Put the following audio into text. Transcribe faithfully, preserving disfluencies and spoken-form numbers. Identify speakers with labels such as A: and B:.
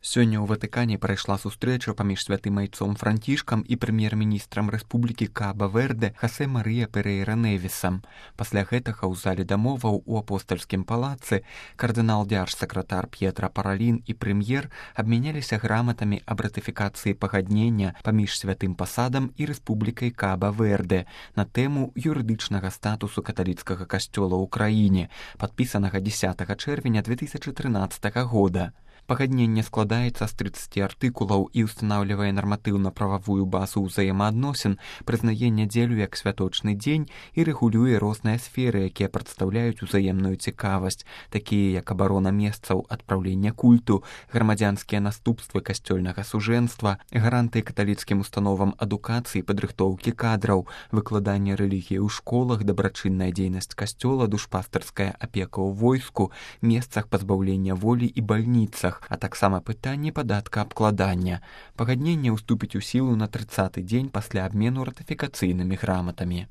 A: Сёння ў Ватыкане прайшла сустрэча паміж святым айцом Францішкам і прэм'ер-міністрам Рэспублікі Каба-Верде Хасе Марыя Перейра Невісам. Пасля гэтага ў зале дамоваў у апостальскім палацы кардынал дзяржсакратар П'етра Паралін і прэм'ер абмяняліся граматамі аб ратыфікацыі пагаднення паміж святым пасадам і Рэспублікай Каба-Верде на тэму юрыдычнага статусу каталіцкага касцёла ў краіне, падпісанага дзесятага чэрвеня две тысячы трынаццатага года. Пагадненне складаецца з трыццаці артыкулаў і ўстанаўлівае нарматыўна-прававую базу ўзаемаадносін, прызнае нядзелю як святочны дзень і рэгулюе розныя сферы, якія прадстаўляюць узаемную цікавасць, такія як абарона месцаў адпраўлення культу, грамадзянскія наступствы касцёльнага сужэнства, гарантыі каталіцкім установам адукацыі, падрыхтоўкі кадраў, выкладанне рэлігіі ў школах, дабрачынная дзейнасць касцёла, душпастарская апека ў войску, месцах пазбаўлення волі і бальніцах, а таксама пытанне падаткаабкладання. Пагадненне ўступіць у сілу на трыццаты дзень пасля абмену ратыфікацыйнымі граматамі.